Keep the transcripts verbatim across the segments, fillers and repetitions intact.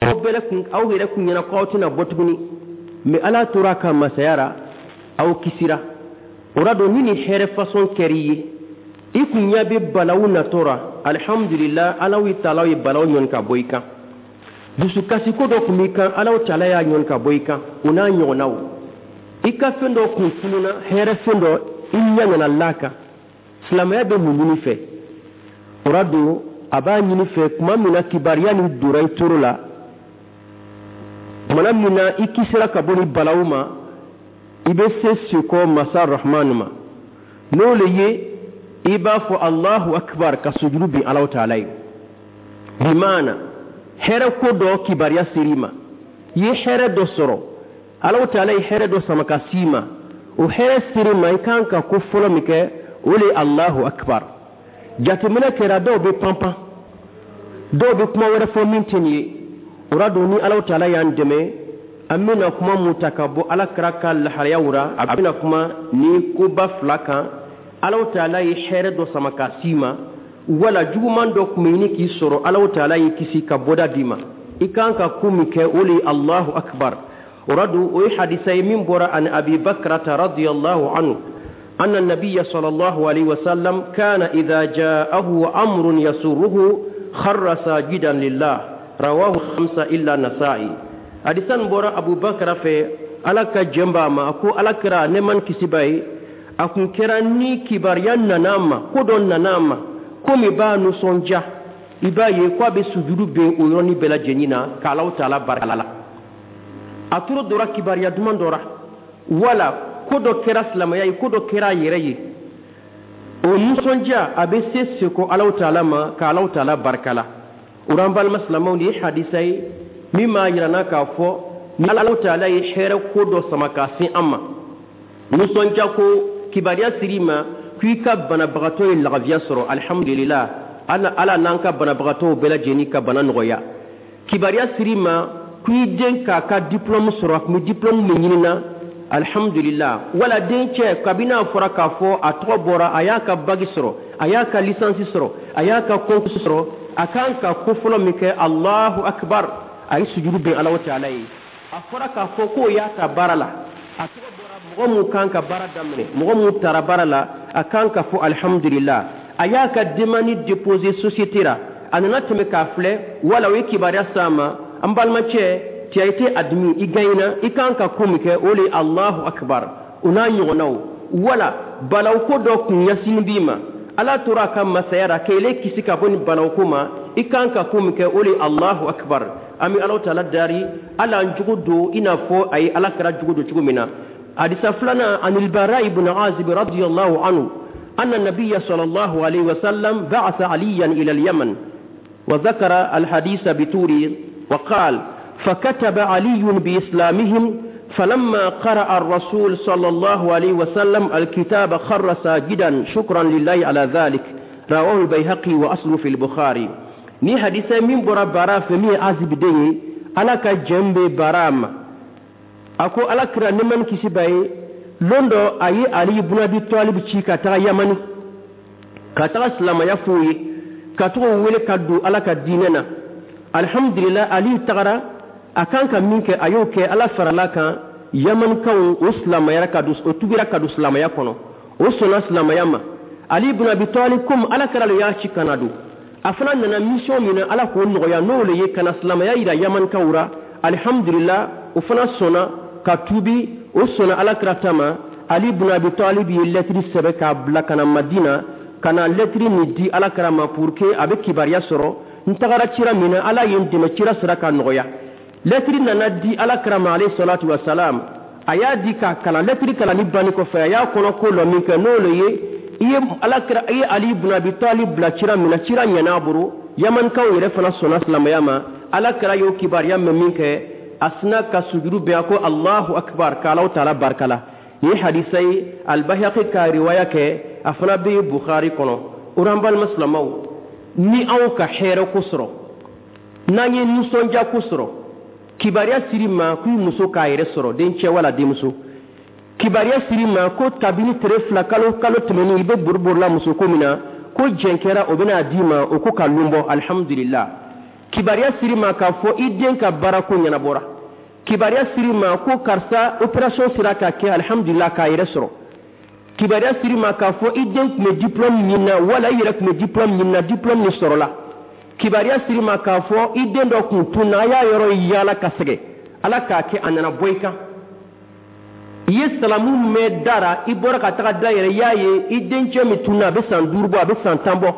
Aw bɛɛ kun, aw yɛrɛ kun ɲɛna ko aw tɛna bɔ tuguni, mais Ala tora a ka masaya ra, aw kisira. O ra don, ni nin hɛrɛ façon kɛr'i ye, i kun ɲɛ bɛ balawu natɔ ra, alihamudulila, Alaw taalaw ye balawu ɲɔni ka bɔ i kan. Dusukasiko dɔ tun b'i kan, Alaw taala y'a ɲɔni ka bɔ i kan. O n'a ɲɔgɔnnaw, i ka fɛn dɔ kun fununa, hɛrɛ fɛn dɔ, i ɲɛ nana l'a kan. Silamɛya bɛ mun ɲini fɛ? O ra don, a b'a ɲini fɛ, tuma min na kibaruya nin donna i toro la, tumana min na i kisira ka bɔ ni balawu ma, i bɛ se sekɔ masa Rahman ma. N'o le ye, i b'a fɔ Allahu akbar, ka sujuru bin Alaw taala ye. Bimaana, hɛrɛ ko dɔ kibaruya ser'i ma, i ye hɛrɛ dɔ sɔrɔ, Alaw taala ye hɛrɛ dɔ sama ka s'i ma, o hɛrɛ ser'i ma, i kan ka ko fɔlɔ min kɛ, o le ye Allahu akbar. Jateminɛ kɛra, dɔw bɛ panpan, dɔw bɛ kuma wɛrɛ fɔ min tɛ nin ye. O ra don, ni Alaw taala y'an dɛmɛ, an bɛna kuma mun ta ka bɔ Ala kira ka lahalayaw ra, a bɛna kuma ni koba fila kan: Alaw taala ye hɛrɛ dɔ sama ka s'i ma, wala juguman dɔ tun bɛ ɲini k'i sɔrɔ, Alaw taala y'i kisi ka bɔda d'i ma, i kan ka ko min kɛ, o le ye Allahu akbar. O ra don, o ye hadisa ye min bɔra ani Abi Bakrata radiyallahu anhu أن النبي صلى الله عليه وسلم كان إذا جاءه أمر يسره خر ساجدا لله. رواه خمسة إلا النسائي. Hadisa nin bɔra Abu Bakr fɛ, Ala ka jɛn b'a ma, a ko Ala kira, nɛɛma ni kisi b'a ye, a kun kɛra ni kibaruya nana a ma, ko dɔ nana a ma, ko min b'a nisɔndiya, i b'a ye ko a bɛ sujudu ben o yɔrɔnin bɛɛ lajɛlen na k'Alaw taala barika la. A toro dɔra kibaruya duman dɔ ra, wala ko dɔ kɛra silamɛya ye, ko dɔ kɛra a yɛrɛ ye, o nisɔndiya, a bɛ se seko Alaw taala ma k'Alaw taala barika la. O an balima silamɛw, nin ye hadisa ye min b'a yira n na k'a fɔ ni Alaw taala ye hɛrɛ ko dɔ sama k'a se an ma, nisɔndiya ko kibaruya siri ma k'i ka banabagatɔ ye lafiya sɔrɔ, alihamudulila, Ala n'an ka banabagatɔw bɛɛ lajɛlen ka bana nɔgɔya. Kibaruya siri ma k'i den k'a ka diplôme sɔrɔ, a tun bɛ diplôme min ɲini na, alihamudulila. Wala den cɛ, kabini a fɔra k'a fɔ a tɔgɔ bɔra, a y'a ka bac sɔrɔ, a y'a ka licence sɔrɔ, a y'a ka concours sɔrɔ, a kan ka ko fɔlɔ min kɛ, Allahu akbar, a ye sujudu bɛn Ala taala ye. A fɔra k'a fɔ k'o y'a ta baara la, a tɔgɔ bɔra mɔgɔ mun kan ka baara daminɛ, mɔgɔ mun taara baara la, a kan ka fɔ alihamudulila. A y'a ka demande déposer société la, a nana tɛmɛ k'a filɛ, wala o ye kibaruya s'a ma, an balimacɛ, tu as été admis, i gagnena, i kan ka ko min kɛ, o le ye Allahu akbar. O n'a ɲɔgɔnnaw, wala balawuko dɔ kun ɲɛsinin b'i ma, Ala tora a ka masaya la k'ele kisi ka bɔ ni balawuko ma, i kan ka ko min kɛ, o le ye Allahu akbar. An bɛ Ala taala dari, Ala an jogo don i n'a fɔ a ye Ala kɛra jogo don cogo min na. Hadisa filanan, anil Bara ibn Azib radiyallahu anhu أن النبي صلى الله عليه وسلم بعث عليا إلى اليمن، وذكر الحديث بطوله، وقال: فكتب علي بإسلامهم، فلما قرأ الرسول صلى الله عليه وسلم الكتاب خر ساجدا شكرا لله على ذلك. رواه البيهقي وأصله في البخاري. Ni hadisa min bɔra Bara fɛ, min ye Azib den ye, Ala ka jɛn bɛ Bara ma, a ko Ala kira, nɛɛma ni kisi b'a ye, lon dɔ a ye Ali ibn Abi Talib ci ka taga Yamani, ka taga silamaya f'u ye, ka taga wele ka don Ala ka diinɛ na. Alhamdulillah, Ali tagara, a kan ka min kɛ, a y'o kɛ. Ala farala kan, Yamanikaw o silamayara ka don, o tugira ka don silamaya kɔnɔ, o sɔnna silamaya ma. Ali ibn Abi Talib, komi Ala kɛra le y'a ci ka na don, a fana nana mission min na, Ala k'o nɔgɔya, n'o le ye ka na silamaya yira Yamanikaw ra. Alhamdulillah, o fana sɔnna ka tuubi, o sɔnna Ala kira ta ma. Ali ibn Abi Talib ye lɛtiri sɛbɛn k'a bila ka na Madina, ka na lɛtiri nin di Ala kira ma pour que a bɛ kibaruya sɔrɔ n tagara cira min na, Ala ye n dɛmɛ, cira sera ka nɔgɔya. Lɛtiri nana di Ala kira ma alayhi salatu wa salam. A y'a di k'a kalan. Lɛtiri kalanni banni kɔfɛ, a y'a kɔnɔ ko lɔ min kɛ, n'o le ye i ye Ala kira, i ye Ali ibn Abi Talib bila cira min na, cira ɲɛna a bolo, Yamanikaw yɛrɛ fana sɔnna silamɛya ma. Ala kira y'o kibaruya mɛn min kɛ, a sina ka sujuru bɛn, a ko Allahu akbar, k'Alaw taala barika la. Nin ye hadisa ye, Albayhaqi ka riwaya kɛ, a fana bɛ Bukhari kɔnɔ. O an balima silamɛw, ni anw ka hɛrɛ ko sɔrɔ, n'an ye nisɔndiya ko sɔrɔ, kibaruya siri ma k'i muso k'a yɛrɛ sɔrɔ, dencɛ wala denmuso, kibaruya siri ma ko kabini tere fila kalo kalo tɛmɛnen i bɛ boriborila muso ko min na, ko jɛn kɛra, o bɛna d'i ma, o ko ka lon bɔ, alihamudulila. Kibaruya siri ma k'a fɔ i den ka baarako ɲɛnabɔra. Kibaruya siri ma ko karisa, opération sera ka kɛ, alihamudulila, k'a yɛrɛ sɔrɔ. Kibaruya siri ma k'a fɔ i den tun bɛ diplôme ɲini na, wala i yɛrɛ tun bɛ diplôme ɲini na, diplôme nin sɔrɔla. Kibaruya siri ma k'a fɔ i den dɔ kun tunna, a y'a yɔrɔ yaala ka sɛgɛn, Ala k'a kɛ a nana bɔ i kan. I ye salamu mɛn da ra, i bɔra ka taga da yɛrɛ, i y'a ye i dencɛ min tunna, a bɛ san duuru bɔ, a bɛ san tan bɔ.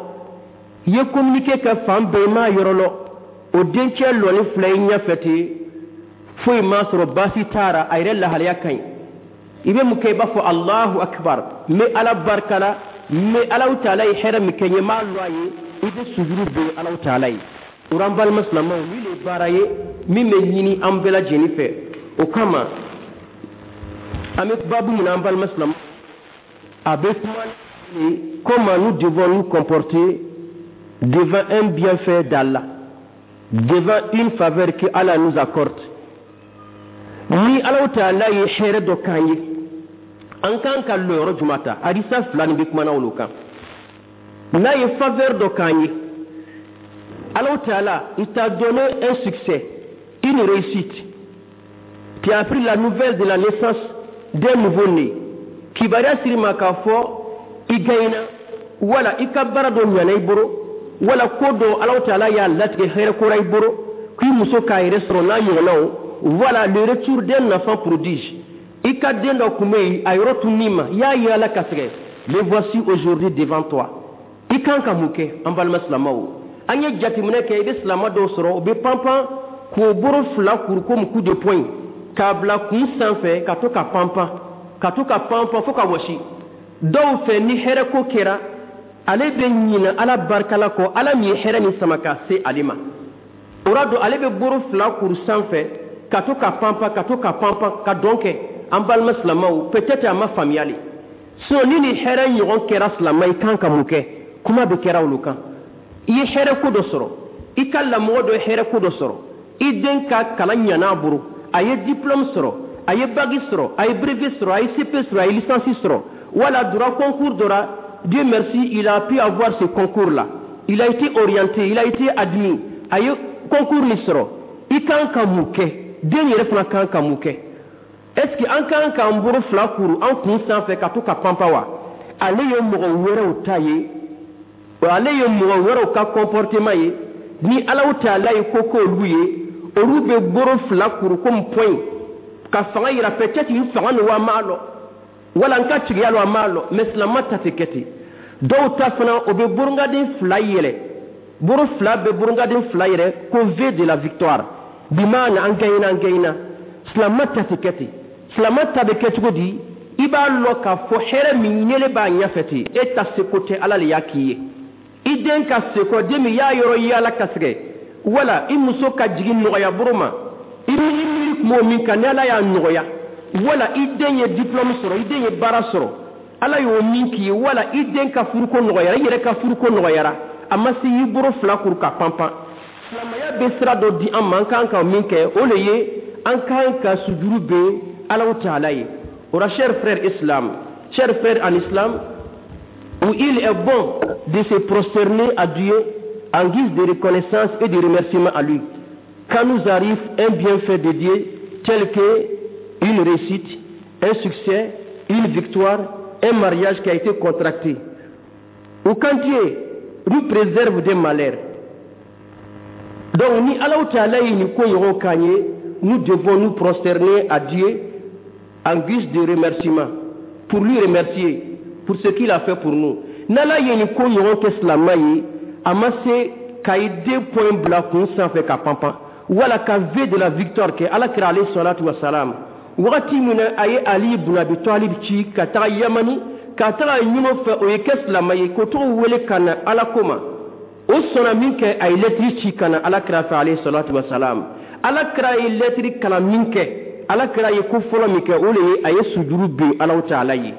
I ye communiqué kɛ fan bɛɛ, i m'a yɔrɔ lɔ. O dencɛ lɔni filɛ i ɲɛfɛ ten, foyi m'a sɔrɔ, baasi t'a ra, a yɛrɛ lahalaya ka ɲi. I bɛ mun kɛ? I b'a fɔ: "Alahu akibar, n bɛ Ala barika la, n bɛ Alahu taala ye hɛrɛ min kɛ n ye, n b'a lɔ a ye." I bɛ sujuru ben Alahu taala ye. O an balima silamɛw, nin de ye baara ye min bɛ ɲini an bɛɛ lajɛlen fɛ. O kama, an bɛ baabu min na, an balima silamɛw, a bɛ kuma comment nous devons nous comporter devant un bienfait d'Allah, devant une faveur que Allah nous accorde. Ni Alahu taala ye hɛrɛ dɔ k'an ye, an kan ka lɔyɔrɔ jumɛn ta? Hadisa fila nin bɛ kumana olu kan. N'a ye faveur dɔ k'an ye, Alahu taala, il t'a donné un succès, une réussite, tu as appris la nouvelle de la naissance d'un nouveau-né, kibaruya siri ma k'a fɔ i gagnena, wala i ka baara dɔ ɲana i bolo, wala ko dɔ Alahu taala y'a latigɛ hɛrɛ kora i bolo, k'i muso k'a yɛrɛ sɔrɔ, n'a ɲɔgɔnnaw. Voilà, le retour d'un enfant prodige. I ka den dɔ tun bɛ yen, a yɔrɔ tun ma, i y'a ye, Ala ka sɛgɛ, le voici aujourd'hui devant toi. I kan ka mun kɛ? An balima silamɛw, an ye jateminɛ kɛ, i bɛ silamɛ dɔw sɔrɔ, u bɛ panpan k'o bolo fila kuru komi coup de poing k'a bila kun sanfɛ, ka to ka panpan, ka to ka panpan fo ka wɔsi. Dɔw fɛ, ni hɛrɛ ko kɛra, ale bɛ ɲinɛ Ala barikala kɔ, Ala min ye hɛrɛ nin sama ka se ale ma. O la don, ale bɛ bolo fila kuru sanfɛ ka to ka panpan, ka to ka panpan, ka dɔn kɛ. An balima silamɛw, peut-être a ma faamuya le. Sinon, ni nin hɛrɛ ɲɔgɔn kɛra silamɛ, i kan ka mun kɛ? Kuma bɛ kɛra olu kan. I ye hɛrɛ ko dɔ sɔrɔ, i ka lamɔgɔ dɔ ye hɛrɛ ko dɔ sɔrɔ, i den ka kalan ɲana a bolo, a ye diplôme sɔrɔ, a ye bac sɔrɔ, a ye brevet sɔrɔ, a ye C P sɔrɔ, a ye licence sɔrɔ, wala dora concours dɔ la, Dieu merci, il a pu avoir ce concours là, il a été orienté, il a été admis, a ye concours nin sɔrɔ. I kan ka mun kɛ? Den yɛrɛ fana kan ka mun kɛ? Est ce que an kan k'an bolo fila kuru an kun sanfɛ ka to ka panpa wa? Ale ye mɔgɔ wɛrɛw ta ye, ale ye mɔgɔ wɛrɛw ka comportement ye. Ni Alaw taala ye ko k'olu ye, olu bɛ bolo fila kuru komi poing ka fanga yira. Peut-être n fanga ni wa m'a lɔ, wala n ka tigiya lɔ, a m'a lɔ. Mais silama ta tɛ kɛ ten. Dɔw ta fana, o bɛ burungaden fila yɛlɛ, bolo fila bɛ burungaden fila yɛlɛ ko V de la victoire, bimaana an gagnena, an gagnena. Silama ta tɛ kɛ ten. Silama ta bɛ kɛ cogo di? I b'a lɔ k'a fɔ hɛrɛ min yɛlɛ b'a ɲɛfɛ ten, e ta seko tɛ, Ala le y'a k'i ye. I den ka seko, den min y'a yɔrɔ yaala ka sɛgɛ, wala i muso ka jigin nɔgɔya bolo ma, i miiri miiri kun b'o min kan, ni Ala y'a nɔgɔya, wala i den ye diplôme sɔrɔ, i den ye baara sɔrɔ, Ala y'o min k'i ye, wala i den ka furuko nɔgɔyara, i yɛrɛ ka furuko nɔgɔyara, a ma se y'i bolo fila kuru ka panpan. Silamɛya bɛ sira dɔ di an ma, an kan ka min kɛ, o le ye an kan ka sujuru ben Alaw taala ye. O la, chers frères islam, chers frères en islam, où il est bon de se prosterner à Dieu en guise de reconnaissance et de remerciement à lui quand nous arrive un bienfait de Dieu tel que une réussite, un succès, une victoire, un mariage qui a été contracté, ou quand Dieu nous préserve des malheurs. Donc, ni Alaw Ta'ala ye nin ko ɲɔgɔn k'an ye, nous devons nous prosterner à Dieu en guise de remerciement, pour lui remercier pour ce qu'il a fait pour nous. N'Ala ye nin ko ɲɔgɔn kɛ silamɛ ye, a ma se ka i den poing bila kun sanfɛ ka panpan, wala ka V de la victoire kɛ. Ala kira alayhi salatu wa salam, wagati min na a ye Ali ibn Abi Talib ci ka taga Yamani, ka taga ɲini o fɛ o ye kɛ silamɛ ye, k'o tɔgɔ wele ka na Ala ko ma, o sɔnna min kɛ, a ye lɛtiri ci ka na Ala kira fɛ alayhi salatu wa salam. Ala kira ye lɛtiri kalan min kɛ, Ala kira ye ko fɔlɔ min kɛ, o de ye a ye sujuru bin Alaw taala ye.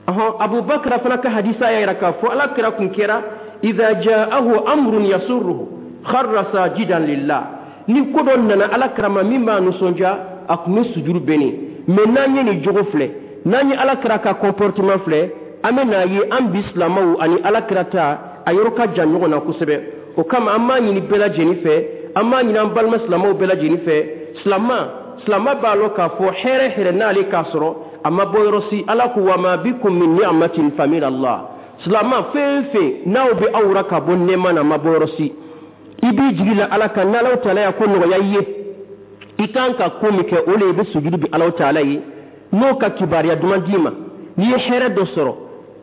Ɔhɔn, Abubakar fana ka hadisa y'a yira k'a fɔ Ala kira kun kɛra idha ja'ahu amrun yasurruhu kharra sajidan lillah. Ni ko dɔ nana Ala kira ma min b'a nisɔndiya, a kun bɛ sujuru bɛnnen. Mais n'an ye nin jogo filɛ, n'an ye Ala kira ka comportement filɛ, an bɛ n'a ye an bi silamɛw ani Ala kira ta, a yɔrɔ ka jan ɲɔgɔn na kosɛbɛ. O kama, an b'a ɲini bɛɛ lajɛlen fɛ. An b'a ɲini an balima silamɛw bɛɛ lajɛlen fɛ. Silama silama b'a lɔn k'a fɔ hɛrɛ hɛrɛ n'ale k'a sɔrɔ, a ma bɔ yɔrɔ si. Ala ko: wa ma bikum min ni'matin fa min Allah. Silama fɛn fɛn n'aw bɛ aw ra ka bɔ nɛɛma na, a ma bɔ yɔrɔ si. I b'i jigi la Ala kan. N'Alaw taala y'a ko nɔgɔya i ye, i kan ka ko min kɛ, o le i bɛ sujudu bi Alaw taala ye n'o ka kibaruya duman d'i ma. N'i ye hɛrɛ dɔ sɔrɔ,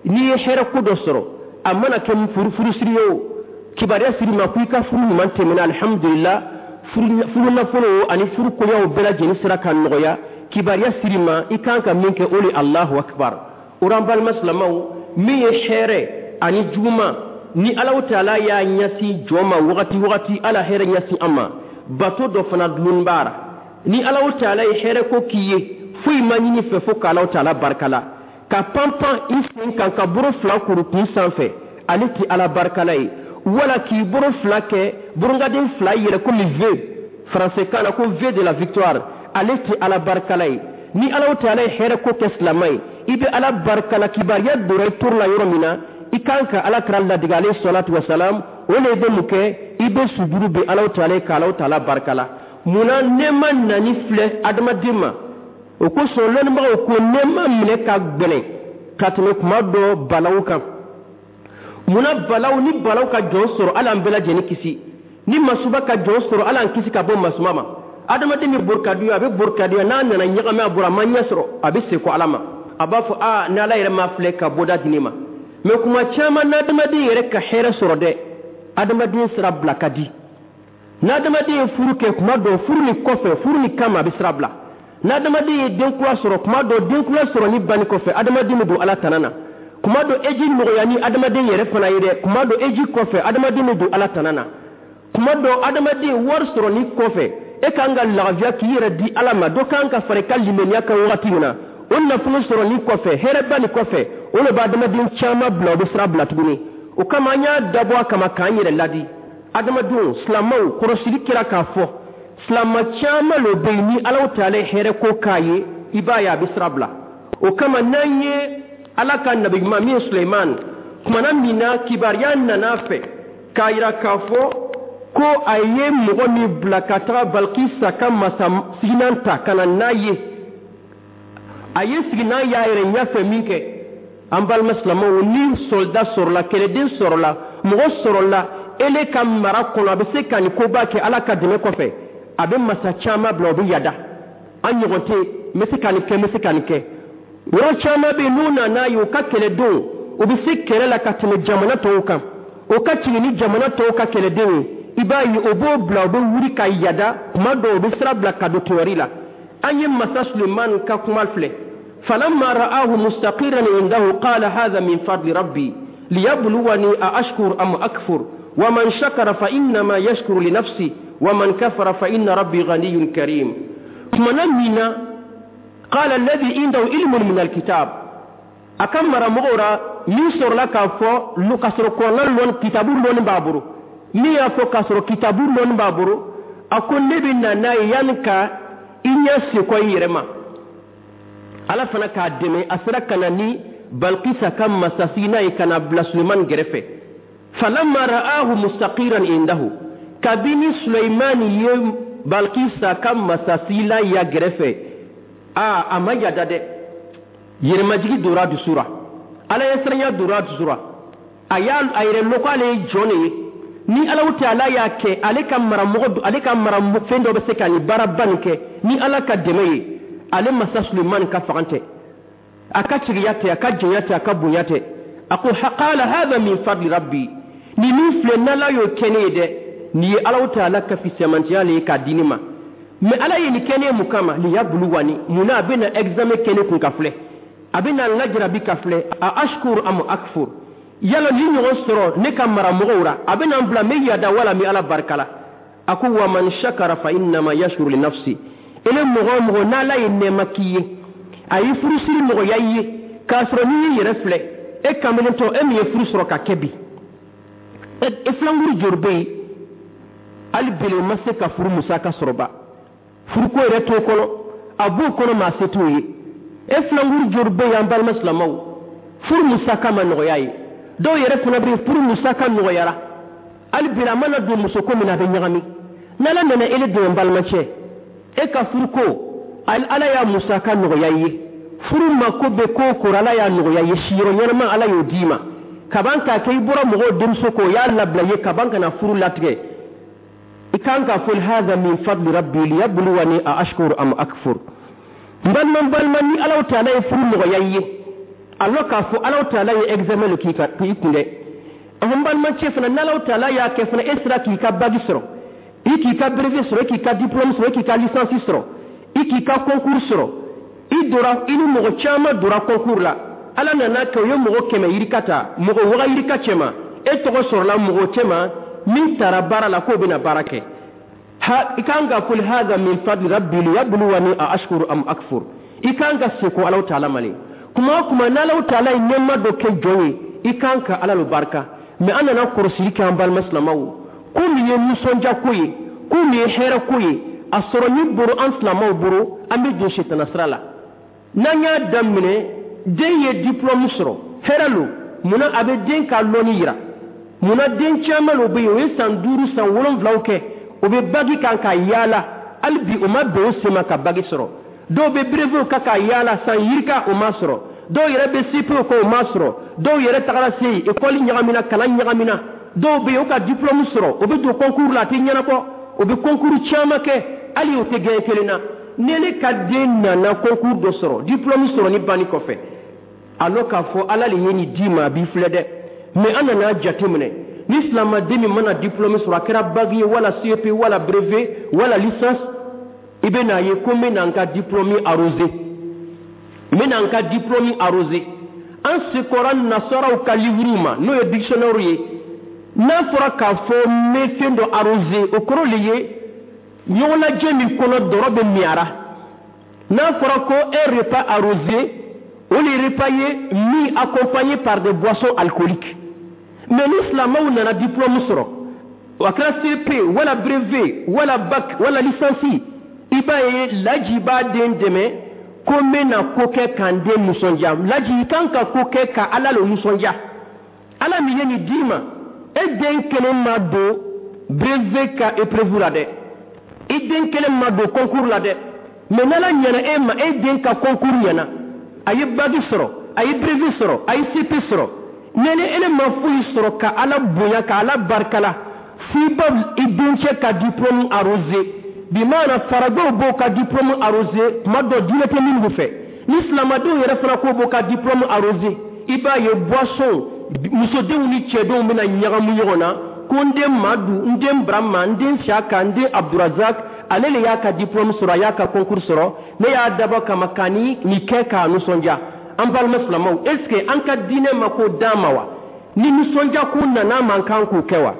n'i ye hɛrɛ ko dɔ sɔrɔ, a mana kɛ furusiri ye o, kibaruya siri ma ko i ka furu ɲuman tɛmɛna, alihamudulila, furu nafolo ani furu koɲaw bɛɛ lajɛlen sera ka nɔgɔya, kibaruya siri ma, i kan ka min kɛ, o le Alahu akibar. O rɔ, an balima silamɛw, min ye hɛrɛ ani juguman ni Alaw taala y'a ɲɛsin jɔn ma wagati wagati, Ala hɛrɛ ɲɛsin an ma, bato dɔ fana dulon b'a ra. Ni Alaw taala ye hɛrɛ ko k'i ye, foyi ma ɲini fɛ fo k'Alaw taala barika la. Ka panpan i sen kan ka bolo fila kuru kun sanfɛ, ale tɛ Ala barikala ye. Wala k'i bolo fila kɛ burunkaden fila yɛrɛ komi V, faransɛ kan na ko V de la victoire, ale tɛ Ala barikala ye. Ni Alaw taala ye hɛrɛ ko kɛ silamɛ ye, i bɛ Ala barikala. Kibaruya donna i toro la yɔrɔ min na, i kan ka Ala kira ladege, alayhi salatu wasalam, o le bɛ mun kɛ? I bɛ sujuru bɛ Alaw taala ye k'Alaw taala barikala. Munna nɛɛma nani filɛ adamaden ma? O kosɔn lɔnnibagaw ko nɛɛma minɛ ka gbɛlɛn ka tɛmɛ kuma dɔ balaw kan. Munna balaw, ni balaw ka jɔn sɔrɔ, Ala an bɛɛ lajɛlen kisi, ni masuba ka jɔn sɔrɔ, Ala an kisi ka bɔ masuba ma, adamaden bɛ borikaduya, a bɛ borikaduya, n'a nana ɲagami a bolo, a ma ɲɛ sɔrɔ, a bɛ segin Ala ma, a b'a fɔ: aa, ni Ala yɛrɛ ma filɛ ka bɔda di ne ma. Mɛ kuma caman n'adamaden yɛrɛ ka hɛrɛ sɔrɔ dɛ, adamaden sira bila ka di. N'adamaden ye furu kɛ, kuma dɔ furu ni kɔfɛ, furu ni kama, a bɛ sira bila. N'adamaden ye den kura sɔrɔ, kuma dɔ den kura sɔrɔ ni banni kɔfɛ, adamaden bɛ don Ala tana na. Kuma dɔ eji nɔgɔya ni adamaden yɛrɛ fana ye dɛ, kuma dɔ eji kɔfɛ, adamaden bɛ don Ala tana na. Kuma dɔ adamaden wari sɔrɔ ni kɔfɛ, e kan ka lafiya k'i yɛrɛ di Ala ma, dɔ kan ka fara i ka limaniya kan wagati min na, o nafolo sɔrɔ ni kɔfɛ, hɛrɛba ni kɔfɛ, o de bɛ adamaden caman bila, o bɛ sira bila tuguni. O kama an y'a dabɔ a kama k'an yɛrɛ ladi. Adamadenw, silamɛw, kɔrɔsili kɛra k'a fɔ silama caman lo bɛ yen, ni Alaw taala hɛrɛ ko k'a ye, i b'a ye a bɛ sira bila. O kama n'an ye Ala ka nabi ɲuman min ye Suleiman, kumana min na kibaruya nana fɛ k'a yira k'a fɔ ko a ye mɔgɔ min bila ka taga Balikisa ka masa sigilan ta ka na n'a ye, a ye sigilan y'a yɛrɛ ɲɛfɛ min kɛ. An balima silamɛw, ni soldat sɔrɔla, kɛlɛden sɔrɔla, mɔgɔ sɔrɔla ele ka mara kɔnɔ, a bɛ se ka nin koba kɛ Ala ka dɛmɛ kɔfɛ, a bɛ masa caman bila, o bɛ yada. An ɲɔgɔn tɛ n bɛ se ka nin kɛ, n bɛ se ka nin kɛ. Yɔrɔ caman bɛ yen, n'u nana ye u ka kɛlɛdenw, u bɛ se kɛlɛ la ka tɛmɛ jamana tɔw kan, o ka jigin ni jamana tɔw ka kɛlɛdenw ye, i b'a ye o b'o bila, o bɛ wuli ka yada. Kuma dɔw o bɛ sira bila ka don tɔɔri la. An ye masa Sulemani ka kuma filɛ: falamma ra'ahu mustaqiran indahu qala hadha min fadli rabbi liyabluwani a ashkur am akfur wa man shakara fa innama yashkuru li nafsi wa man kafara fa inna rabbi ghaniyyun karim. Kumana min na, qala alladhi indahu ilmun min alkitab, a ka maramɔgɔw ra min sɔrɔla k'a fɔ k'a sɔrɔ kɔnɔna lɔn, kitabu lɔnni b'a bolo, min y'a fɔ k'a sɔrɔ kitabu lɔnni b'a bolo, a ko: ne bɛ na n'a ye yanni ka i ɲɛ sekɔ i yɛrɛ ma. Ala fana k'a dɛmɛ, a sera ka na ni Balkisa ka masasigi ye ka na bila Sulemani gɛrɛfɛ. Falamma ra'ahu mustaqiran indahu, kabini Suleimani ye Balkisa ka masasigilan ya gɛrɛfɛ, aa, a ma yada dɛ, yɛrɛmajigi dora dusu ra, Ala ye siranya dora dusu ra, a y'a a yɛrɛ lɔn ko ale ye jɔn de ye. Ni Alaw taala y'a kɛ ale ka maramɔgɔ, ale ka mara fɛn dɔ bɛ se ka nin baaraba nin kɛ ni Ala ka dɛmɛ ye, ale masa Sulemani ka fagan tɛ, a ka tigiya tɛ, a ka jɔnya tɛ, a ka bonya tɛ. A ko: qala hadha min fadli rabbi, nin min filɛ, n'Ala y'o kɛ ne ye dɛ, nin ye Alaw taala ka fisamantiya le ye k'a di ne ma. Mɛ Ala ye nin kɛ ne ye mun kama? Liyabluwani, munna a bɛna examen kɛ ne kun ka filɛ, a bɛna n lajarabi ka filɛ, a ashkur am akfur, yala ni ɲɔgɔn sɔrɔ ne ka maramɔgɔw ra, a bɛna n bila n bɛ yada wala n bɛ Ala barika la. A ko: wa man shakara fa innama yashkuru li nafsi. Ele mɔgɔ o mɔgɔ n'Ala ye nɛɛma k'i ye, a ye furusiri nɔgɔya i ye, k'a sɔrɔ n'i y'i yɛrɛ filɛ, e kamelentɔ, e min ye furu sɔrɔ ka kɛ bi, e filankuru joli bɛ yen hali bele ma se ka furu musaka sɔrɔ ba, furuko yɛrɛ t'o kɔnɔ, a b'o kɔnɔ, maa se t'o ye. E filankuru joli bɛ yen, an balima silamɛw, furu musaka ma nɔgɔya ye? Dɔw yɛrɛ fana bɛ yen, furu musaka nɔgɔyara, hali bi a mana don musoko min na, a bɛ ɲagami. N'Ala nana ele dɛmɛ, n balimacɛ, e ka furuko, Ala y'a musaka nɔgɔya i ye. Furu mako bɛ ko o ko, Ala y'a nɔgɔya i ye. Siyɔrɔ ɲɛnama, Ala y'o d'i ma. Kaban k'a kɛ i bɔra mɔgɔw denmuso kɔ, o y'a labila i ye kaban ka na furu latigɛ, i kan ka fɔ: هذا من فضل ربي ليبلوني أأشكر أم أكفر. N balima, n balima, ni Alaw taala ye furu nɔgɔya i ye, a lɔn k'a fɔ Alaw taala ye examen le k'i k'i kun dɛ. N balimacɛ fana, n'Alaw taala y'a kɛ fana, e sera k'i ka bac sɔrɔ, i k'i ka brevet sɔrɔ, i k'i ka diplôme sɔrɔ, i k'i ka licence sɔrɔ, i k'i ka concours sɔrɔ, i dora i ni mɔgɔ caman dora concours la, Ala nana kɛ o ye mɔgɔ kɛmɛ yirika ta, mɔgɔ waga yirika cɛma, e tɔgɔ sɔrɔla mɔgɔ cɛma min taara baara la k'o bɛna baara kɛ, ha, i kan ka fɔ: هذا من فضل ربي ليبلوني أأشكر أم أكفر. I kan ka seko Alaw taala ma le. Kuma o kuma n'Alaw taala ye nɛɛma dɔ kɛ jɔn ye, i kan ka Ala lo barika. Mɛ an nana kɔrɔsili kɛ, an balima silamaw, ko min ye nisɔndiya ko ye, ko min ye hɛrɛ ko ye, a sɔrɔ ni boro an silamaw boro, an bɛ don setana sira la. N'an y'a daminɛ, den ye diplôme sɔrɔ, hɛrɛ lo. Munna a bɛ den ka lɔnni yira? Munna den caman lo bɛ yen, o ye san duuru, san wolonwulaw kɛ, o bɛ bac kan ka yaala, hali bi o ma bɛn o sen ma ka bac sɔrɔ? Dɔw bɛ brevet kan ka yaala san yirika, o ma sɔrɔ. Dɔw yɛrɛ bɛ C P kɛ, o ma sɔrɔ. Dɔw yɛrɛ tagara se yen, école ɲagamina, kalan ɲagamina. Dɔw bɛ yen, o ka diplôme sɔrɔ, o bɛ don concours la, a tɛ ɲɛnabɔ. O bɛ concours caman kɛ, hali o tɛ gagné kelen na. Ni ne ka den nana concours dɔ sɔrɔ, diplôme sɔrɔ ni banni kɔfɛ, a lɔn k'a fɔ Ala le ye nin d'i ma, a b'i filɛ dɛ. Mɛ an nana jateminɛ, ni silamaden min mana diplôme sɔrɔ, a kɛra bac ye wala C E P wala brevet wala licence, i bɛ n'a ye ko n bɛ na n ka diplôme arrosé, n bɛ na n ka diplôme arrosé. An sekɔra nasaraw ka livre ma, n'o ye dictionnaire ye. N'a fɔra k'a fɔ n bɛ fɛn dɔ arrosé, o kɔrɔ le ye ɲɔgɔnlajɛ min kɔnɔ dɔrɔ bɛ miyara. N'a fɔra ko un repas arrosé, o le repas ye min accompagné par des boissons alcooliques. Mais ni silamɛw nana diplôme sɔrɔ, a kɛra C P wala brevet wala bac wala licence, i b'a ye laji b'a den dɛmɛ ko n bɛna ko kɛ k'an den nisɔndiya. Laji, i kan ka ko kɛ ka Ala le nisɔndiya, Ala min ye nin d'i ma. E den kelen ma don brevet ka épreuve la dɛ, i den kelen ma don concours la dɛ. Mais n'Ala ɲɛna e ma, e den ka concours ɲɛna, a ye bac sɔrɔ, a ye brevet sɔrɔ, a ye C P sɔrɔ, ni ni ele ma foyi sɔrɔ ka Ala bonya, ka Ala barikala, f'i ba i dencɛ ka diplôme arrosé. Bi maana farajɛw b'o ka diplôme arrosé tuma dɔ, diinɛ tɛ minnu fɛ, ni silamadenw yɛrɛ fana k'o b'o ka diplôme arrosé, i b'a ye boisson, musodenw ni cɛdenw bɛna ɲagamu ɲɔgɔn na ko n den Madu, n den Burama, n den Siyaka, n den Abdurazak, ale le y'a ka diplôme sɔrɔ, a y'a ka concours sɔrɔ, ne y'a dabɔ kama ka ni nin kɛ k'a nisɔndiya. An balima silamaw, est ce que an ka diinɛ ma ko d'an ma wa? Ni nisɔndiya ko nana man kan k'o kɛ wa?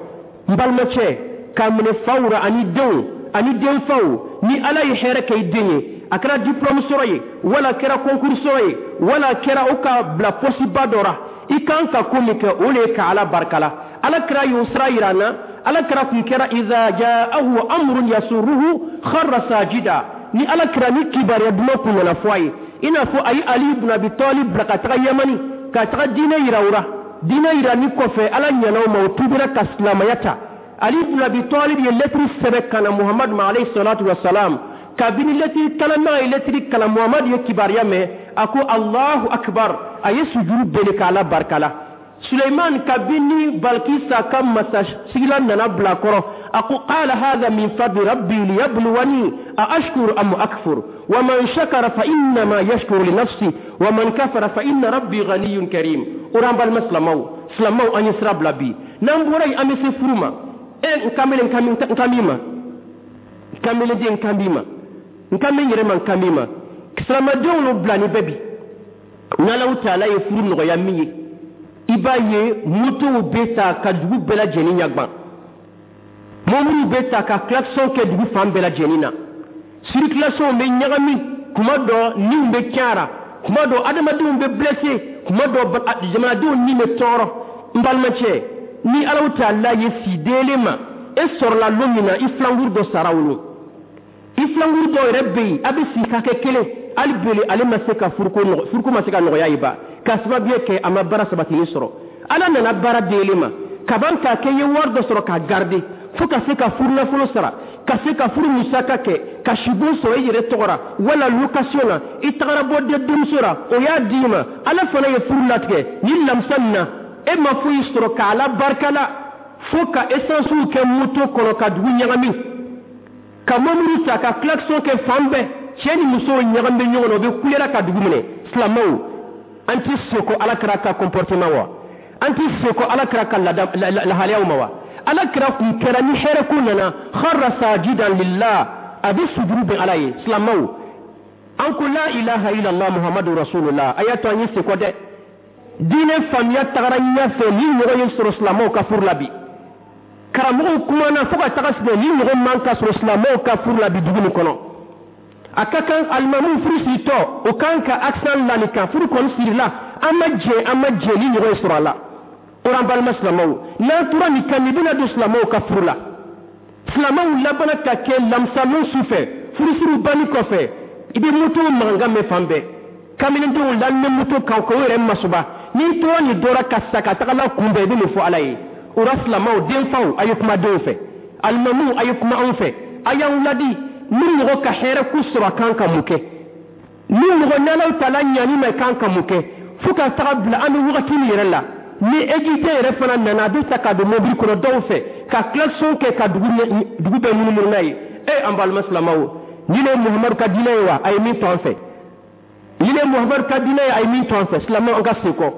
N balimacɛ, k'a minɛ faw ra ani denw ani denfaw, ni Ala ye hɛrɛ kɛ i den ye, a kɛra diplôme sɔrɔ ye wala a kɛra concours sɔrɔ ye wala a kɛra o ka bila poste ba dɔ ra, i kan ka ko min kɛ, o le ye ka Ala barikala. Ala kɛra y'o sira yira an na. Ala kɛra kun kɛra إذا جاءه أمر يسره خر ساجدا. Ni Ala kɛra ni kibaruya duman kun nana fɔ a ye, i n'a fɔ a ye Ali ibn Abi Talib bila ka taga Yamani ka taga diinɛ yira o la, diinɛ yira ni kɔfɛ, Ala ɲɛna o ma, o tubira ka silamaya ta. Ali ibn Abi Talib ye lettre sɛbɛn ka na Muhamadu ma عليه الصلاة والسلام. Kabini lettre kalanbaga ye lettre kalan, Muhamadu ye kibaruya mɛn, a ko: الله أكبر. A ye sujuru bele k'Ala barika la. Suleiman, kabini Balkisa ka masasigilan nana bila kɔrɔ, a ko: قال هذا من فضل ربي ليبلوني أأشكر أم أكفر ومن شكر فإنما يشكر لنفسه ومن كفر فإن ربي غني كريم. O r'an balima silamaw, silamaw, an ye sira bila bi. N'an bɔra yen, an bɛ se furu ma. E n kamalen, n kan b'i ma. Kamelenden, n kan b'i ma. N kan bɛ n yɛrɛ ma, n kan b'i ma. Silamadenw n'o bila ni bɛɛ bi, n'Alaw taala ye furu nɔgɔya min ye, i b'a ye motow bɛ ta ka dugu bɛɛ lajɛlen ɲagban, mɔbiliw bɛ ta ka klaxon kɛ dugu fan bɛɛ lajɛlen na, circulation bɛ ɲagami, kuma dɔ niw bɛ cayara, kuma dɔ adamadenw bɛ blessé, kuma dɔ jamanadenw ni bɛ tɔɔrɔ. N balimacɛ, ni Alaw taala ye si delen ma, e sɔrɔla lon min na, i filankuru dɔ sara o lon. I filankuru dɔw yɛrɛ bɛ yen, a bɛ si hakɛ kelen, hali bele ale ma se ka furuko furuko ma se ka nɔgɔya ye ba, k'a sababuya kɛ a ma baara sabatini sɔrɔ. Ala nana baara delen ma kaban k'a kɛ i ye wari dɔ sɔrɔ k'a garder fo ka se ka furu nafolo sara. Ka se ka furu musaka kɛ, ka sibon sɔrɔ i yɛrɛ tɔgɔ ra wala location na, i tagara bɔ den denmuso ra, o y'a d'i ma. Ala fana ye furu latigɛ ni lamisa nin na, e ma foyi sɔrɔ ka Ala barika la fo ka essence kɛ moto kɔnɔ ka dugu ɲagami, ka mobili ta ka klaxon kɛ fan bɛɛ. Cɛ ni musow ɲagami bɛ ɲɔgɔn na, u bɛ kulera ka dugu minɛ. Silamɛw, an tɛ seko Ala kira ka comportement wa? An tɛ seko Ala kira ka lahalayaw ma wa? Ala kira kun kɛra, ni hɛrɛ ko nana, kharra sajidan lillah, a bɛ sujuru bɛn Ala ye. Silamɛw, an ko la ilaha illallah Muhammadu rasulullah. A y'a to an ye seko dɛ. Diinɛ faamuya tagara ɲɛfɛ, ni ɲɔgɔn ye sɔrɔ silamɛw ka furu la bi. Karamɔgɔw kumana fo ka taga sigi, ni ɲɔgɔn man ka sɔrɔ silamɛw ka furu la bi dugu nin kɔnɔ. A ka kan alimamu furu siritɔ, o kan ka accent la nin kan. Furu kɔni sirila, an ma jɛ, an ma jɛ ni ɲɔgɔn ye sɔrɔ a la. O an balima silamɛw, n'an tora nin kan, nin bɛna don silamɛw ka furu la. Silamɛw labanna ka kɛ lamisalon su fɛ, furusiriw banni kɔfɛ, i bɛ moto mankan mɛn fan bɛɛ, kamalendenw lamɛn moto kan k'o yɛrɛ masuba. N'i tora nin dɔra ka sa ka taga la kunbɛn, i bɛ mun fɔ Ala ye? O la, silamɛw, denfaw, a ye kuma denw fɛ. Alimamuw, a ye kuma anw fɛ. A y'an ladi. Ni mɔgɔ ka hɛrɛ ko sɔrɔ, a kan ka mun kɛ? Ni mɔgɔ n'Alaw taala ɲani ma, kan ka mun kɛ? Fo ka taga bila an bɛ wagati min yɛrɛ la, ni ejite yɛrɛ fana nana, a bɛ ta ka don mobili kɔnɔ dɔw fɛ ka klaxon kɛ ka dugu dugu bɛɛ munumunu n'a ye. E, an balima silamɛw, ni ne ye Muhamadu ka diinɛ ye wa, a ye min to an fɛ? Ni ne ye Muhamadu ka diinɛ ye, a ye min to an fɛ? Silamɛw, an ka sen kɔ.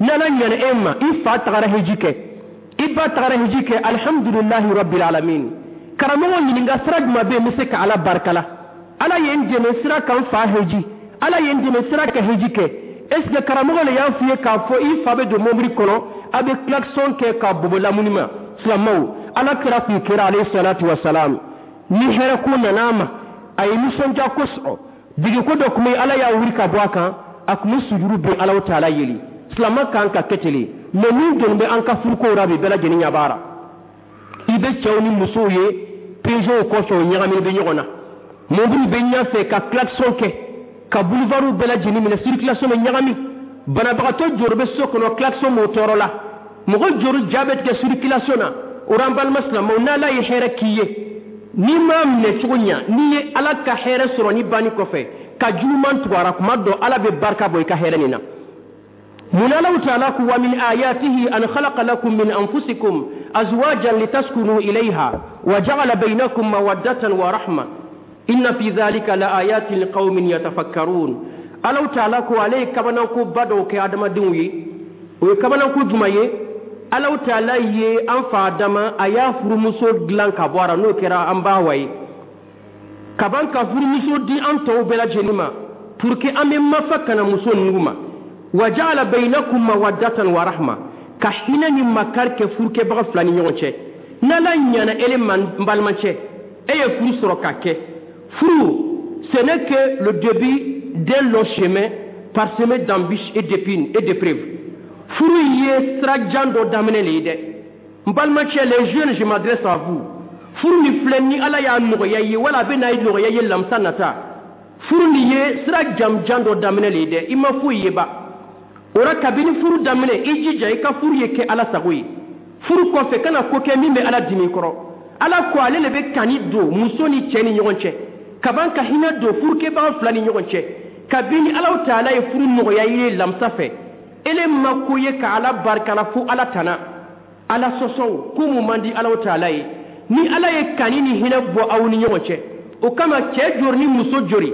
N'Ala ɲana e ma, i fa tagara heji kɛ, i ba tagara heji kɛ, alhamdulilahi rabbil alamin. Karamɔgɔ ɲininka, sira jumɛn bɛ yen n bɛ se ka Ala barika la? Ala ye n dɛmɛ sira kan fa heji, Ala ye n dɛmɛ sira ka heji kɛ. Est ce que karamɔgɔ le y'a f'i ye k'a fɔ i fa bɛ don mobili kɔnɔ, a bɛ klaxon kɛ ka bobo lamuni ma? Silamɛw, Ala kira kun kɛra, alayhi salatu wa salam, ni hɛrɛ ko nana a ma, a ye nisɔndiya kosɔn. Degeko dɔ tun bɛ, Ala y'a wuli ka bɔ a kan, a tun bɛ sujuru bin Alaw taala yeli. Silamɛ kan ka kɛ ten. Mais min doni bɛ an ka furukow la bi, bɛɛ lajɛlen ɲɛ b'a la. I bɛ cɛw ni musow ye Peugeot kɔfɛ, o ɲagaminen bɛ ɲɔgɔn na, mobili bɛ ɲɛfɛ ka klaxon kɛ ka boulevard bɛɛ lajɛlen minɛ, circulation bɛ ɲagami. Banabagatɔ jɔrɔ bɛ so kɔnɔ, klaxon b'o tɔɔrɔ la, mɔgɔ jɔrɔ ja bɛ tigɛ circulation na. O la, an balima silamɛw, n'Ala ye hɛrɛ k'i ye, n'i m'a minɛ cogo ɲa, n'i ye Ala ka hɛrɛ sɔrɔ ni banni kɔfɛ ka juguman tugu a la, kuma dɔ Ala bɛ barika bɔ i ka hɛrɛ nin na. Mun Alaw taala ko: wa min ayatihi an khalaqa lakum min anfusikum azwajan litaskunu ilayha wa ja'ala bainakum mawaddatan wa rahma, inna fi dhalika la ayatin liqaumin yatafakkarun. Alaw taala ko ale ye kabanako ba dɔw kɛ adamadenw ye. O ye kabanako jumɛn ye? Alaw taala ye an fa Adama, a y'a furumuso dilan ka bɔ a la, n'o kɛra an ba wa ye, ka ban ka furumuso di an tɔw bɛɛ lajɛlen ma pour que an bɛ mafa kana muso ninnu ma. Wa ja'ala bainakum mawaddatan wa rahma, ka hinɛ ni makari kɛ furukɛbaga fila ni ɲɔgɔn cɛ. N'Ala ɲana ele ma, n balimacɛ, e ye furu sɔrɔ ka kɛ furu, ce n'est que le début d'un long chemin parsemé d'embûches et d'épines et d'épreuves. Furu ye sira jan dɔ daminɛ le ye dɛ. N balimacɛ, les jeunes, je m'adresse à vous. Furu ni filɛ, ni Ala y'a nɔgɔya i ye wala a bɛ n'a nɔgɔya i ye lamisa nata, furu nin ye sira jamjan dɔ daminɛ le ye dɛ. I ma foyi ye ba o la. Kabini furu daminɛ, i jija i ka furu ye kɛ Ala sago ye. Furu kɔfɛ, kana ko kɛ min bɛ Ala dimi kɔrɔ. Ala ko ale le bɛ kani don muso ni cɛ ni ɲɔgɔn cɛ, ka ban ka hinɛ don furukɛbaga fila ni ɲɔgɔn cɛ. Kabini Alaw taala ye furu nɔgɔya i ye lamisa fɛ, ele ma ko ye ka Ala barika la fo Ala tana Ala sɔsɔw ko mun man di Alaw taala ye. Ni Ala ye kani ni hinɛ bɔ aw ni ɲɔgɔn cɛ, o kama cɛ jori ni muso jori,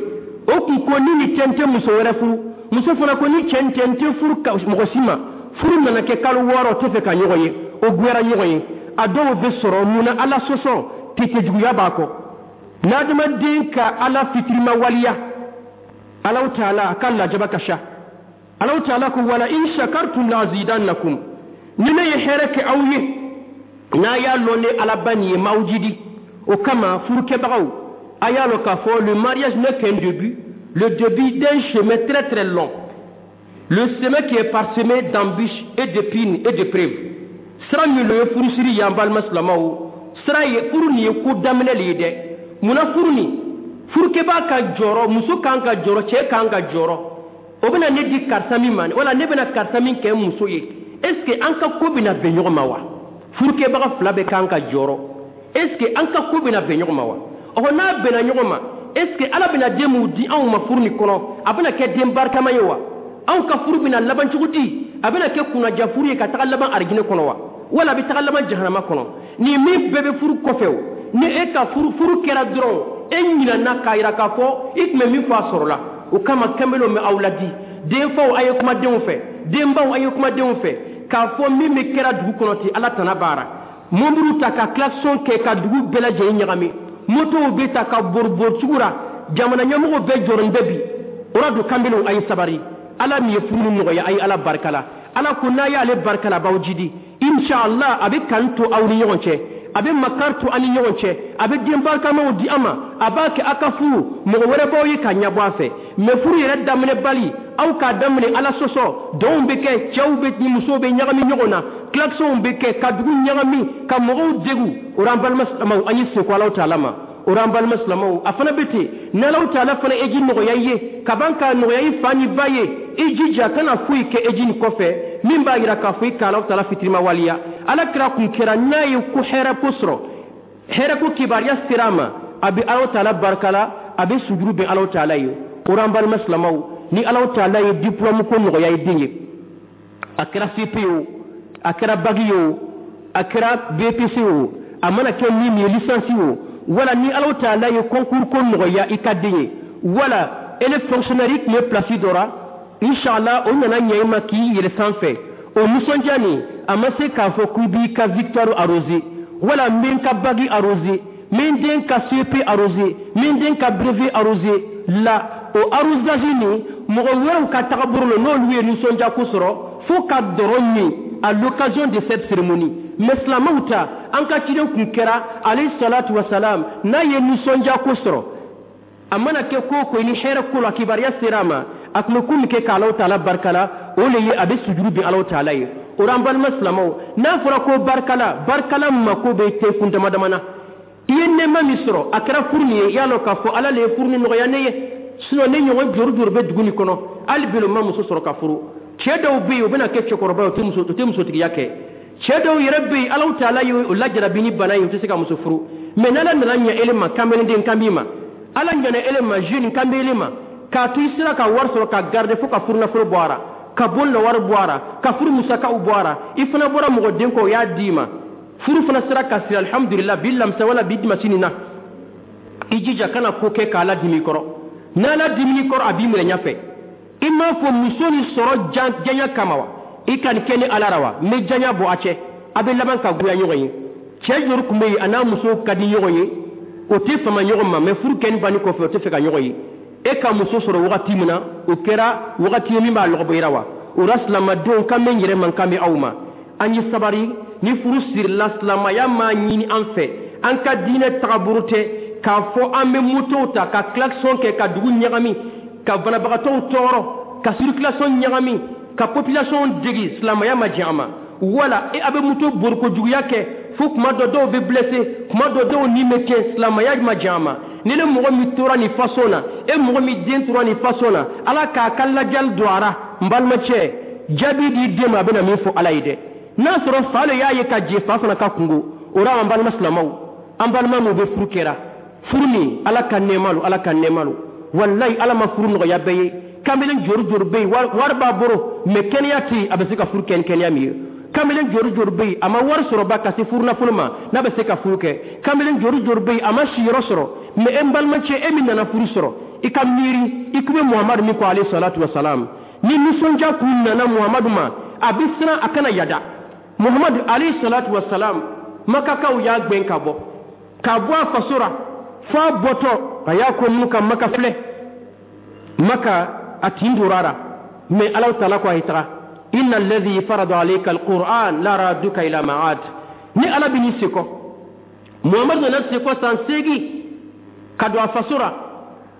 o kun ko ni ni cɛ n tɛ muso wɛrɛ furu, muso fana ko ni cɛ n tɛ, n tɛ furu mɔgɔ si ma. Furu nana kɛ kalo wɔɔrɔ, tɛ fɛ ka ɲɔgɔn ye, o goyara ɲɔgɔn ye. A dɔw bɛ sɔrɔ mun na? Ala sɔsɔ tete juguya b'a kɔ. N'adamaden ka Ala fitirima waliya, Alaw taala a ka lajaba ka sa. Alaw taala ko: wala in shakartum lazidannakum. Ni ne ye hɛrɛ kɛ aw ye, n'a y'a lɔn ne Alaba nin ye, m'aw jidi. O kama, furukɛbagaw, a y'a lɔn k'a fɔ le mariage n'est qu'un début, le début d'un chemin très très long, le chemin qui est parsemé d'embûches et d'épines et d'épreuves. Sira min lo ye furusiri ye, an balima silamɛw, sira ye furu nin ye ko daminɛ le ye dɛ. Munna furu nin, furukɛbaa ka jɔrɔ, muso kan ka jɔrɔ, cɛ kan ka jɔrɔ, o bɛna ne di karisa min ma, wala ne bɛna karisa min kɛ muso ye, est ce que an ka ko bɛna bɛn ɲɔgɔn ma wa? Furukɛbaga fila bɛ kan ka jɔrɔ. Est ce que an ka ko bɛna bɛn ɲɔgɔn ma wa? Ɔhɔ, n'a bɛnna ɲɔgɔn ma, est ce que Ala bɛna den mun di anw ma furu nin kɔnɔ, a bɛna kɛ den barikama ye wa? Anw ka furu bɛna laban cogo di? A bɛna kɛ kunnaja furu ye ka taga laban arijinɛ kɔnɔ wa, wala a bɛ taga laban jahanama kɔnɔ? Nin min bɛɛ bɛ furu kɔfɛ, o ni e ka furu furu kɛra dɔrɔn, e ɲinana k'a yira k'a fɔ i tun bɛ min fɔ, a sɔrɔla. O kama, kanbelenw bɛ aw ladi, denfaw, a ye kuma denw fɛ, denbaw, a ye kuma denw fɛ, k'a fɔ min bɛ kɛra dugu kɔnɔ ten, Ala tana baara. Mɔbiliw ta ka klaxon kɛ ka dugu bɛɛ lajɛlen ɲagami, motow bɛ ta ka boribori cogo la, jamana ɲɛmɔgɔw bɛɛ jɔrɔn bɛ bi o la. Don kanbelenw, a ye sabari. Ala min ye furu nɔgɔya, a ye Ala barika la. Ala ko n'a y'ale barika la, a b'aw jidi, inshallah. A bɛ kan to aw ni ɲɔgɔn cɛ, a bɛ makari to an ni ɲɔgɔn cɛ, a bɛ den barikamaw di an ma, a b'a kɛ a ka furu mɔgɔ wɛrɛ b'aw ye ka ɲɛbɔ a fɛ. Mɛ furu yɛrɛ daminɛ bali, aw k'a daminɛ Ala sɔsɔ, dɔnw bɛ kɛ, cɛw bɛ ni musow bɛ ɲagami ɲɔgɔn na, klaxonw bɛ kɛ ka dugu ɲagami, ka mɔgɔw degu. O la, an balima silamɛw, an ye seko Alaw taala ma. O la, an balima silamɛw, a fana bɛ ten, n'Alaw taala fana eji nɔgɔya i ye ka ban k'a nɔgɔya i fa ni ba ye, i jija kana foyi kɛ eji nin kɔfɛ min b'a yira k'a fɔ i ka Alaw taala fitirima waliya. Ala kira kun kɛra, n'a ye ko hɛrɛ ko sɔrɔ, hɛrɛ ko kibaruya sera a ma, a bɛ Alaw taala barika la, a bɛ sujuru bɛn Alaw taala ye. O la, an balima silamɛw, ni Alaw taala ye diplôme ko nɔgɔya i den ye, a kɛra C P o, a kɛra bac ye o, a kɛra B P C o, a mana kɛ min ye, licence o, wala ni Alaw taala ye concours ko nɔgɔya i ka den ye, wala ele fonctionnaire, i tun bɛ place dɔ la, inshallah, o nana ɲɛ i ma k'i yɛlɛ sanfɛ, o nisɔndiya nin, a ma se k'a fɔ k'i b'i ka victoire arrosé, wala n bɛ n ka bac arrosé, n bɛ n den ka C P arrosé, n bɛ n den ka brevet arrosé la. O arrosage nin, mɔgɔ wɛrɛw ka tagabolo la, n'olu ye nisɔndiya ko sɔrɔ fo ka dɔrɔn min à l'occasion de cette cérémonie. Mais silamɛw ta, an ka ciden kun kɛra, alayhi salatu wasalam, n'a ye nisɔndiya ko sɔrɔ, a mana kɛ ko o ko ni hɛrɛ ko la, kibaruya sera a ma, a tun bɛ ko min kɛ k'Alaw taala barika la, o le ye a bɛ sujuru bin Alaw taala ye. O la, an balima silamɛw, n'a fɔra ko barikala, barikala mako bɛ te kun dama dama na. I ye nɛɛma min sɔrɔ, a kɛra furu nin ye, i y'a lɔn k'a fɔ Ala le ye furu nin nɔgɔya ne ye. Sinon ne ɲɔgɔn jori jori bɛ dugu nin kɔnɔ, hali bi o ma muso sɔrɔ ka furu. Cɛ dɔw bɛ yen, o bɛna kɛ cɛkɔrɔba ye, o tɛ muso o tɛ musotigiya kɛ. Cɛ dɔw yɛrɛ bɛ yen, Alaw taala ye o lajarabi ni bana ye, o tɛ se ka muso furu. Mɛ n'Ala nana ɲɛ ele ma, kanbelenden kan b'i ma, Ala ɲana ele ma, jeune kan bɛ ele ma, k'a to i sera ka wari sɔrɔ ka garder fo ka furu nafolo bɔ a la, ka bon la wari bɔ a la, ka furu musakaw bɔ a la, i fana bɔra mɔgɔ den kɔ, o y'a d'i ma, furu fana sera ka siri, alhamdulillah. Bi lamisa wala bi dimasi nin na, i jija kana ko kɛ k'Ala dimi kɔrɔ. N'Ala dimini kɔrɔ, a b'i minɛ ɲɛfɛ. I m'a fɔ muso ni sɔrɔ janya kama wa, i ka nin kɛ ni Ala la wa, n bɛ janya bɔ a cɛ, a bɛ laban ka goya ɲɔgɔn ye. Cɛ jori tun bɛ yen, a n'a muso ka di ɲɔgɔn ye, o tɛ fama ɲɔgɔn ma, mɛ furu kɛni banni kɔfɛ, o tɛ fɛ ka ɲɔgɔn ye. E ka muso sɔrɔ wagati min na, o kɛra wagati ye min b'a lɔgɔbɔ wa. O la, silamadenw, kan bɛ n yɛrɛ man, kan bɛ aw ma, an ye sabari. Ni furu sirila, silamaya m'a ɲini an fɛ, an ka diinɛ tagabolo tɛ k'a fɔ an bɛ motow ta ka klaxon kɛ ka dugu ɲagami, ka banabagatɔw tɔɔrɔ, ka circulation ɲagami, ka population degi. Silamaya ma jɛn a ma. Wala e a bɛ moto borikojuguya kɛ fo kuma dɔ dɔw bɛ blessé, kuma dɔ dɔw ni bɛ tiɲɛ. Silamaya ma jɛn a ma. Ni ne mɔgɔ min tora nin façon na, e mɔgɔ min den tora nin façon na, Ala k'a ka lajali don a ra. N balimacɛ, jaabi di den ma, a bɛna min fɔ Ala ye dɛ, n'a sɔrɔ fa le y'a ye ka jɛ fa fana ka kungo o la. An balima silamɛw, an balima minnu bɛ furu kɛra, furu nin, Ala ka nɛɛma lo, Ala ka nɛɛma lo. Walayi, Ala ma furu nɔgɔya bɛɛ ye. Kamalen jori jori bɛ yen, wari b'a bolo, mɛ kɛnɛya tɛ yen, a bɛ se ka furu kɛ ni kɛnɛya min ye. Kamalen jori jori bɛ yen, a ma wari sɔrɔ ba ka se furu nafolo ma, n'a bɛ se ka furu kɛ. Kamalen jori jori bɛ yen, a ma siyɔrɔ sɔrɔ. Mɛ e n balimacɛ, e min nana furu sɔrɔ, i ka miiri i kun bɛ Muhamadu min kɔ, alayhi salatu wa salam, ni nisɔndiya kun nana Muhamadu ma, a bɛ siran a kana yada. Muhamadu alayhi salatu wa salam, Makakaw y'a gbɛn ka bɔ ka bɔ a faso la, fo a bɔtɔ a y'a ko minnu ka Maka filɛ, Maka a tin dora la. Mɛ Alaw taala ko a ye taga, inna alladhi farada alayka alquran la raduka ila ma'ad. Ni Ala bɛ n'i sekɔ, Muhamadu nana sekɔ san seegin ka don a faso la.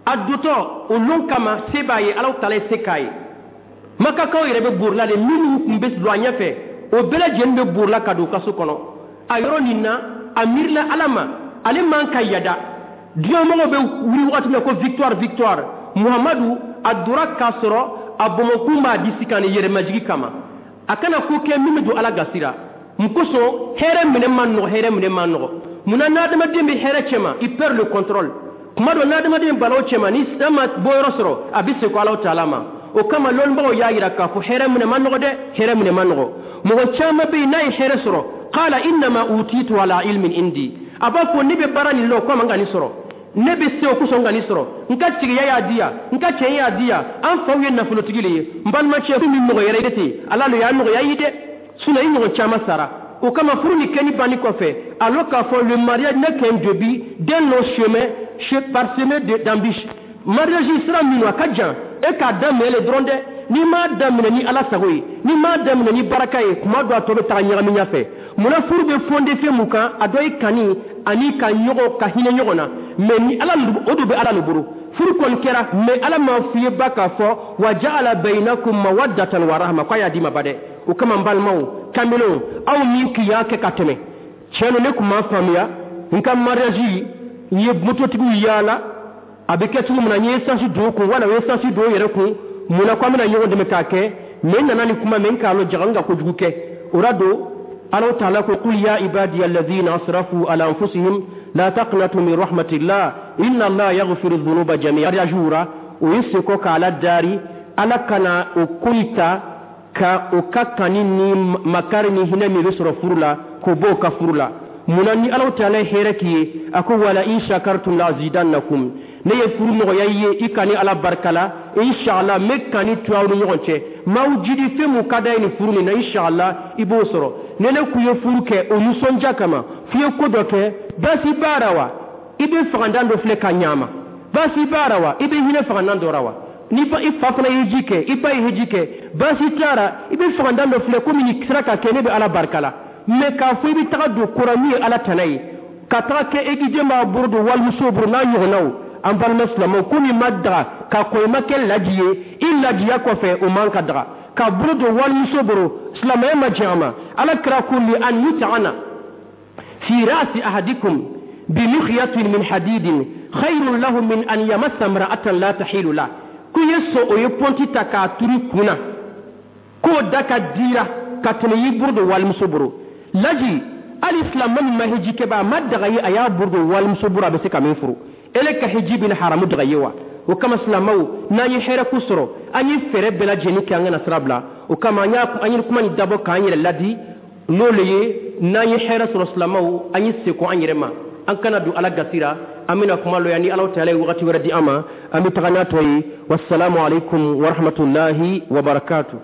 A dotɔ o lon kama, se b'a ye, Alaw taala ye se k'a ye. Makakaw yɛrɛ bɛ borila de, minnu tun bɛ don a ɲɛfɛ, o bɛɛ lajɛlen bɛ borila ka don kaso kɔnɔ. A yɔrɔ nin na, a miirila Ala ma, ale man ka yada. Diɲɛmɔgɔw bɛ wuli wagati min na ko victoire, victoire, Muhamadu a dora k'a sɔrɔ a bɔnbɔnkun b'a disi kan ni yɛrɛmajigi kama, a kana ko kɛ min bɛ don Ala gasi la. Mun kosɔn? Hɛrɛ minɛ man nɔgɔ, hɛrɛ minɛ man nɔgɔ. Munna n'adamaden bɛ hɛrɛ cɛma, i perd le contrôle? Kuma dɔ, n'adamaden balaw cɛma, ni an ma bɔyɔrɔ sɔrɔ, a bɛ segin Alahu taala ma. O kama lɔnnibagaw y'a yira k'a fɔ hɛrɛ minɛ ma nɔgɔ dɛ, hɛrɛ minɛ ma nɔgɔ. Mɔgɔ caman bɛ yen, n'a ye hɛrɛ sɔrɔ, qala innama utitu ala ilmin indi. A b'a fɔ ne bɛ baara nin la, o kama n ka nin sɔrɔ, ne bɛ se o kosɔn n ka nin sɔrɔ, n ka tigiya y'a di yan, n ka cɛn y'a di yan, an faw ye nafolotigi le ye. N balimacɛ, min mɔgɔ yɛrɛ ten, Ala le y'a nɔgɔya i ye dɛ. Sinon i ɲɔgɔn caman sara. O kama furu ni kɛni banni kɔfɛ, alors k'a fɔ le mariage n'est qu'un début d'un long chemin parsemé d'embûches. Mariage sira min, a ka jan, e k'a daminɛ le dɔrɔn dɛ. N'i m'a daminɛ ni Ala sago ye, n'i m'a daminɛ ni baraka ye, kuma dɔ a tɔ bɛ taga ɲagami ɲɛfɛ. Munna furu bɛ fondé fɛn mun kan? A dɔ ye kani ani ka ɲɔgɔn ka hinɛ ɲɔgɔn na. Mais ni Ala, o de bɛ Ala le bolo. Furu kɔni kɛra, mais Ala m'a f'i ye ba k'a fɔ wa ja'ala bainakum mawaddatan wa rahma, k'a y'a d'i ma ba dɛ. O kama n balimaw kamelenw, aw min k'i y'a kɛ ka tɛmɛ, tiɲɛ don, ne tun m'a faamuya. N ka mariage, n ye mototigiw yaala, a bɛ kɛ cogo min na, n ye essence don o kun, wala o ye essence don o yɛrɛ kun. Munna ko an bɛna ɲɔgɔn dɛmɛ k'a kɛ? Mais n nana ni kuma mɛ, n k'a lɔ jaga, n ka kojugu kɛ. O la don Alaw taala ko: qul ya ibadiya alladhina asrafu ala anfusihim la taqnatu min rahmatillah, inna Allaha yaghfiru dhunuba jami'a. Mariage ra, o ye seko ka Ala dari, Ala kana o ko ta ka o ka kani ni makari ni hinɛ min bɛ sɔrɔ furu la, k'o bɔ o ka furu la. Munna ni Alaw taala ye hɛrɛ k'i ye, a ko: wala in shakartum la azidannakum. Ne ye furu nɔgɔya i ye, i kani Ala barika la, inshallah n bɛ kani to aw ni ɲɔgɔn cɛ. M'aw jidi fɛn mun ka d'a ye nin furu nin na, inshallah i b'o sɔrɔ. Ne ne k'u ye furu kɛ o nisɔndiya kama, f'i ye ko dɔ kɛ, baasi b'a la wa? I bɛ fagandan dɔ filɛ ka ɲa ma, baasi b'a la wa? I bɛ hinɛ fagandan dɔ la wa? Ni i fa fana ye ji kɛ, i ba ye ji kɛ, baasi t'a la. I bɛ fagandan dɔ filɛ komi nin sera ka kɛ, ne bɛ Ala barika la. Mais k'a fɔ i bɛ taga don kora min ye Ala tana ye, ka taga kɛ e k'i den b'a bolo don walimuso bolo n'a ɲɔgɔnnaw, an balima silamɛw, ko min ma daga ka kɔn i ma kɛ laji ye, i lajiya kɔfɛ, o man ka daga ka bolo don walimuso bolo. Silamɛya ma jɛn a ma. Ala kira ko: li an yut'ana fi ra'si ahadikum bimikhyatin min hadidin khayrun lahu min an yamassa imra'atan la tahilu la. Ko ye sɔn o ye pɔnti ta k'a turu kun na, k'o da ka dira ka tɛmɛ y'i bolo don walimuso bolo. Laji, hali silamɛ min ma hiji kɛ ba, a ma daga ye a y'a bolo don walimuso bolo a bɛ se ka min furu. Ele ka hiji bɛna haramu daga ye wa? O kama silamɛw, n'an ye hɛrɛ ko sɔrɔ, an ye fɛɛrɛ bɛɛ lajɛlen kɛ an kana sira bila. O kama an y'a an ye kuma nin dabɔ k'an yɛrɛ ladi, n'o le ye n'an ye hɛrɛ sɔrɔ, silamɛw, an ye seko an yɛrɛ ma, an kana don Ala gasira. An bɛna kuma lɔya ni Ala taala ye wagati wɛrɛ di an ma, an bɛ taga n'a tɔ ye. Wasalamu alaikum warahmatullahi wabarakatuh.